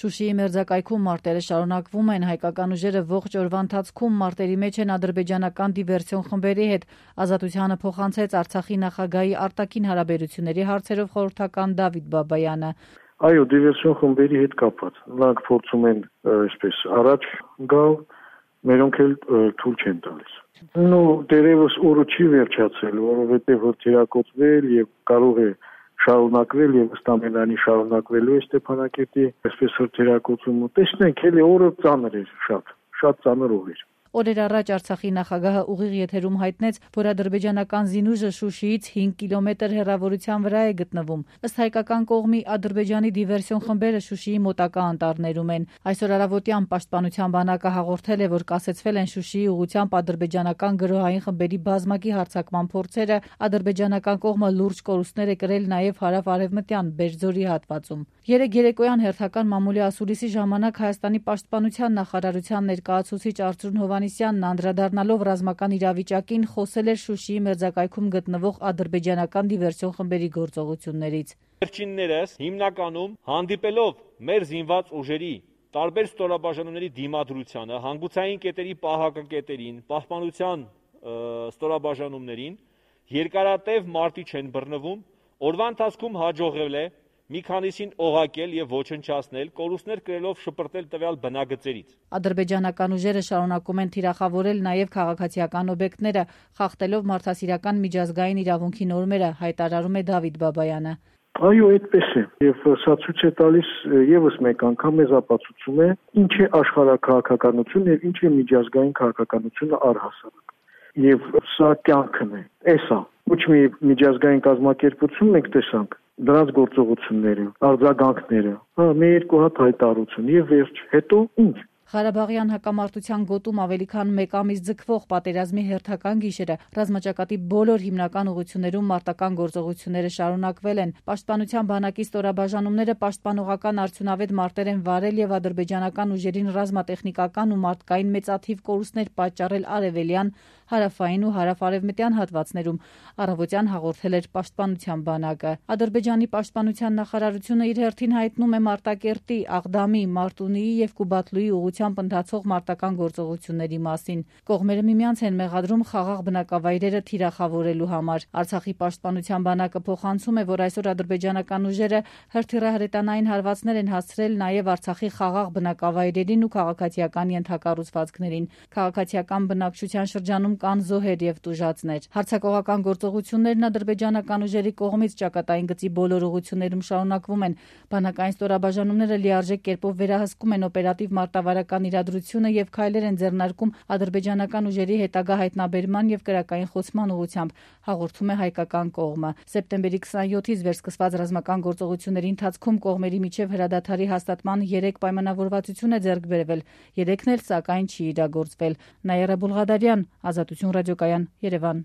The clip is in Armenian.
Շուշիի մերձակայքում մարտերը շարունակվում են, հայկական ուժերը ողջ օրվա ընթացքում մարտերի մեջ են ադրբեջանական դիվերսիոն խմբերի հետ։ Ազատությանը փոխանցեց Արցախի նախագահի արտաքին հարաբերությունների հարցերով խորհրդական Դավիթ Բաբայանը։ Այո, դիվերսիոն խմբերի հետ կապված։ Նրանք փորձում են այսպես առաջ գալ, մերոնք էլ թույլ չեն տալիս։ Դերևս օրը չի վերջացել, որովհետև թիրակոծվել եւ կարող է շարունակվել եւ ըստ ամենայնի շարունակվելու է Ստեփանակերտի այսպես հրթիռակոծումը։ Տեսնենք, էլի օրը ծանր էր, շատ ծանր օր էր։ Օրեր առաջ Արցախի նախագահը ուղիղ եթերում հայտնեց, որ ադրբեջանական զինուժը Շուշիից 5 կիլոմետր հեռավորության վրա է գտնվում։ Ըստ հայկական կողմի Ադրբեջանի դիվերսիոն խմբերը Շուշիի մոտակա անտառներում են։ Այսօր առավոտյան Պաշտպանության բանակը հաղորդել է, որ կասեցվել են Շուշիի ուղղությամբ ադրբեջանական գրոհային խմբերի բազմակի հարձակման փորձերը, ադրբեջանական կողմը լուրջ կորուստներ է կրել նաև հարավ-արևմտյան Բերձորի հատվածում։ Երեկ երեկոյան հերթական մամուլի ասուլիսի ժամանակ Հայաստանի պաշտպանության նախարարության ներկայացուցիչ Արծրուն Հովհաննիսյանն անդրադառնալով ռազմական իրավիճակին խոսել էր Շուշիի մերձակայքում գտնվող ադրբեջանական դիվերսիոն խմբերի գործողություններից։ Վերջիններս հիմնականում հանդիպելով մեր զինված ուժերի տարբեր ստորաբաժանումների դիմադրությանը, հանգուցային կետերի պահակակետերին, պահպանության ստորաբաժանումներին երկարատև մարտի չեն բռնվում, օրվա ընթացքում հաջողվել է մի քանիսին օղակել եւ ոչնչացնել, կորուստներ կրելով շպրտել տվյալ բնագծերից։ Ադրբեջանական ուժերը շարունակում են թիրախավորել նաեւ քաղաքացիական օբյեկտները, խախտելով մարդասիրական միջազգային իրավունքի նորմերը, հայտարարում է Դավիթ Բաբայանը։ Այո, այդպես է, եւ սա ցույց է տալիս եւս մեկ անգամ մեզ ապացուցում է, ինչ է աշխարհաքաղաքականություն եւ ինչ է միջազգային քաղաքականությունը առհասարակ։ Եվ սա կյանքն է, էսա։ Ոչ մի միջազգային կազմակերպություն մենք տեսանք դրանց գործողությունները, արձագանքները, մի երկու հատ հայտարարություն եւ վերջ, հետո ինչ։ Ղարաբաղյան հակամարտության գոտում ավելի քան 1 ամիս ձգվող պատերազմի հերթական գիշերը ռազմաճակատի բոլոր հիմնական ուղղություններում մարտական գործողությունները շարունակվել են։ Պաշտպանության բանակի ստորաբաժանումները պաշտպանողական արդյունավետ մարտեր են վարել եւ ադրբեջանական ուժերին ռազմատեխնիկական ու մարդկային մեծաթիվ կորուստներ պատճառել արևելյան, հարավային ու հարավ-արևմտյան հատվածներում, առավոտյան հաղորդել էր պաշտպանության բանակը։ Ադրբեջանի պաշտպանության նախարարությունը իր հերթին հայտնում է Մարտակերտի, Աղդամի, Մարտունիի եւ Կուբատլուի ուղղությամբ ընթացող մարտական գործողությունների մասին։ Կողմերը միմյանց են մեղադրում խաղաղ բնակավայրերը թիրախավորելու համար։ Արցախի պաշտպանության բանակը փոխանցում է, որ այսօր ադրբեջանական ուժերը հրթիռահրետանային հարվածներ են հասցրել նաեւ Արցախի խաղաղ բնակավայրերին ու քաղաքացիական ենթակառուցվածքներին։ Քաղաքացիական բնակչության շրջանում կան զոհեր եւ տուժածներ։ Հարձակողական գործողություններն ադրբեջանական ուժերի կողմից ճակատային գծի բոլոր ուղղություններում շարունակվում են։ Բանակային ստորաբաժանումները լիարժեք կերպով վերահսկում են օպերատիվ մարտավարական իրադրությունը եւ քայլեր են ձեռնարկում ադրբեջանական ուժերի հետագա հայտնաբերման եւ կրակային խոցման ուղղությամբ, հաղորդում է հայկական կողմը։ Սեպտեմբերի 27-ից վերսկսված ռազմական գործողությունների ընթացքում կողմերի միջև հրադադարի հաստատման 3 պայմանավորվածություն է ձեռք բերվել։ 3-ն էլ սակայն չի իրագործվել։ Նաիրա Բուլղադարյան, Ազատություն ռադիոկայան, Երևան։